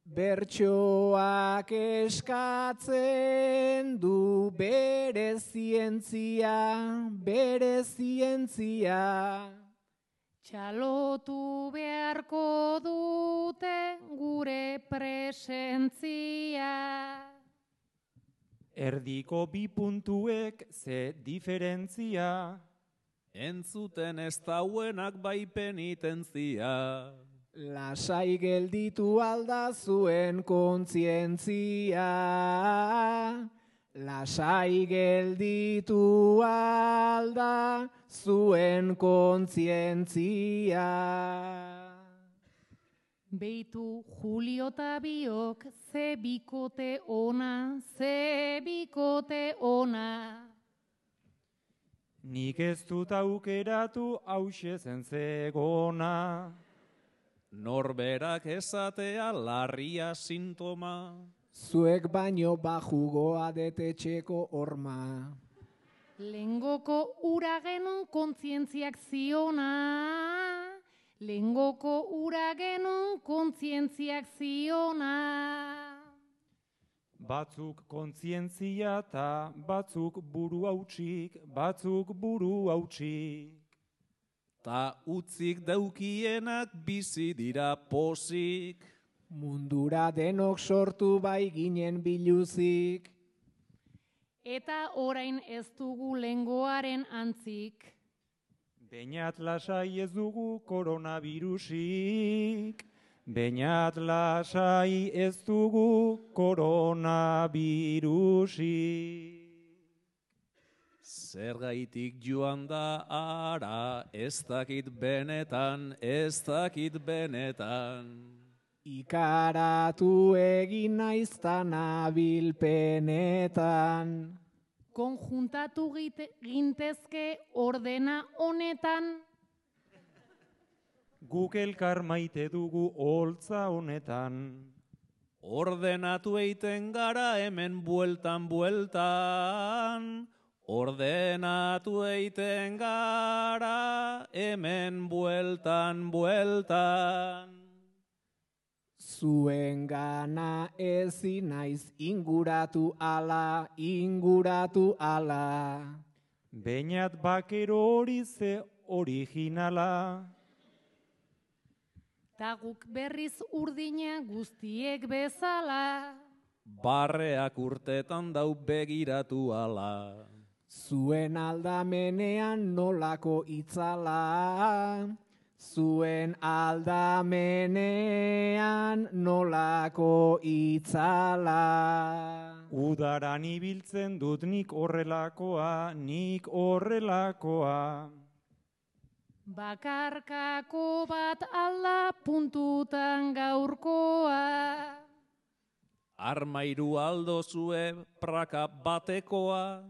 Bertsoak eskatzen du bere zientzia, bere zientzia. Txalotu beharko dute gure presentzia. Erdiko bi puntuek ze diferentzia. Entzuten ez dauenak bai penitentzia. Lasai gelditu alda zuen kontzientzia. Lasai gelditu alda zuen kontzientzia. Beitu Julio ta biok ze bikote ona, ze bikote ona. Nik ez dut aukeratu hause zen zegona. Norberak esatea larria sintoma. Zuek baino bajugoa detetxeko horma. Lengoko ura genuen kontzientziak ziona. Lengoko ura genuen kontzientziak ziona. Batzuk kontzientzia eta batzuk buru hautsik, batzuk buru hautsik. Ta utzik daukienak bizi dira pozik. Mundura denok sortu bai ginen biluzik. Eta orain ez dugu lengoaren antzik. Beñat lasai ez dugu koronavirusik. Beñat lasai ez dugu koronavirusik. Zergaitik joan da ara, ez dakit benetan, ez dakit benetan. Ikaratu egin naiztan abilpenetan. Konjuntatu gintezke ordena honetan. Guk elkar maite dugu holtza honetan. Ordenatu eiten gara hemen bueltan, bueltan. Ordenatu eiten gara hemen bueltan, bueltan. Zuen gana ezin naiz inguratu ala, inguratu ala. Beñat bakero hori ze originala. Ta guk berriz urdina guztiek bezala. Barreak urtetan dau begiratu ala. Zuen aldamenean nolako itzala. Zuen aldamenean nolako itzala. Udaran ibiltzen dut nik horrelakoa, nik horrelakoa. Bakarkako bat alda puntutan gaurkoa. Armairu aldo zue praka batekoa.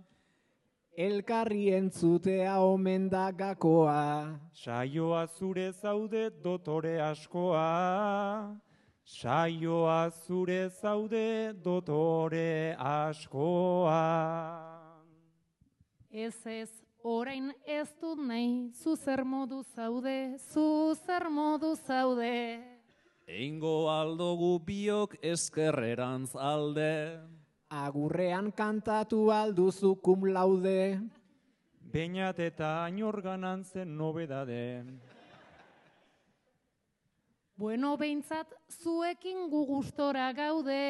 Elkarri entzutea omen da gakoa. Saioa zure zaude dotore askoa. Saioa zure zaude dotore askoa. Ez, orain ez dut nahi, zu zer modu zaude, zu zer modu zaude. Eingo aldogu biok eskerrerantz alde. Agurrean kantatu alduzu cum laude. Beñat eta ainorganan zen nobedade. Bueno, behintzat zuekin gu gustora gaude.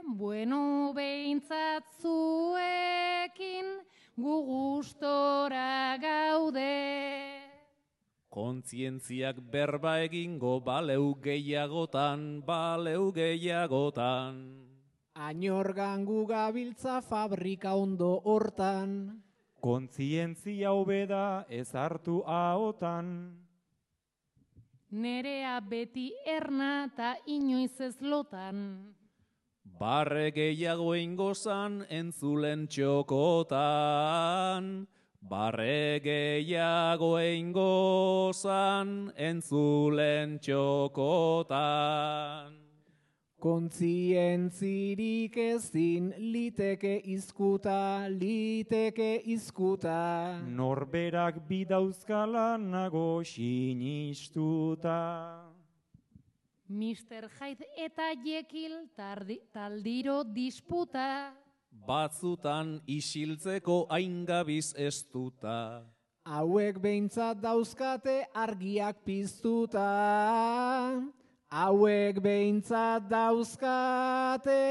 Bueno, behintzat zuekin gu gustora gaude. Kontzientziak berba egingo baleu gehiagotan, baleu gehiagotan. Ainorgan gu gabiltza fabrika ondo hortan. Kontzientzia hobeda ez hartu ahotan. Nerea beti erna ta inoiz ez lotan. Barre gehiago ingozan entzulen txokotan. Barre gehiago ingozan entzulen txokotan. Kontzientzirik ezin liteke izkuta, liteke izkuta. Norberak bidauzkala nago sinistuta. Mr. Hyde eta Jekyll taldiro disputa. Batzutan isiltzeko aingabiz estuta. Hauek behintzat dauzkate argiak piztuta. Hauek behintzat dauzkate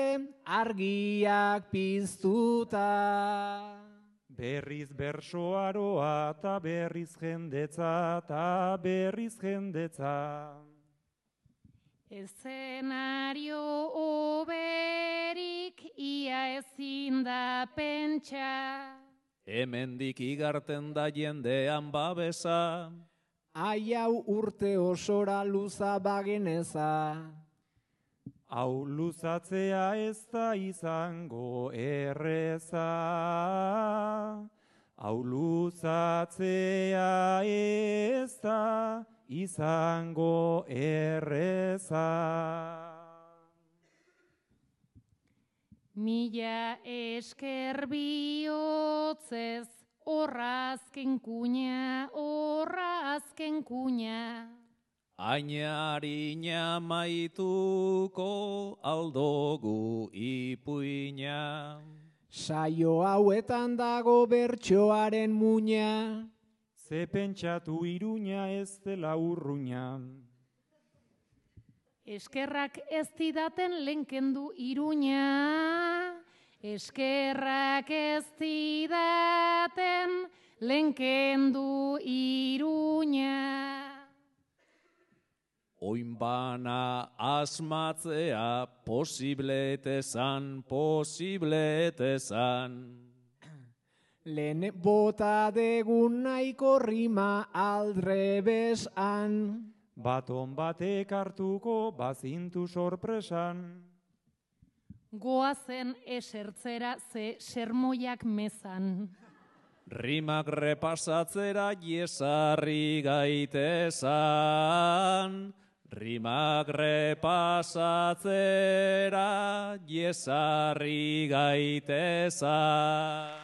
argiak piztuta. Berriz bersoaroa eta berriz jendetza, eta berriz jendetza. Eszenario oberik ia ezin da pentsa. Hemendik igarten da jendean babesa. Ai hau urte osora luza bageneza. Hau luzatzea ez da izango erreza. Hau luzatzea ez da izango erreza. Mila esker bihotzez, horra azken kuña, horra azken kuña. Ainarina maituko aldogu ipuina. Saio hauetan dago bertsoaren muina. Ze pentsatu Iruña ez dela urruña. Eskerrak ez didaten lenkendu Iruña. Eskerrak ez didaten lenkendu Iruña. Oinbana asmatzea posibletezan, posibletezan. Lehen bota degun nahiko rima aldrebesan. Baton batek hartuko bazintu sorpresan. Goazen esertzera ze sermoiak mezan. Rimak repasatzera jesarri gaitezan. Rimak repasatzera jesarri gaitezan.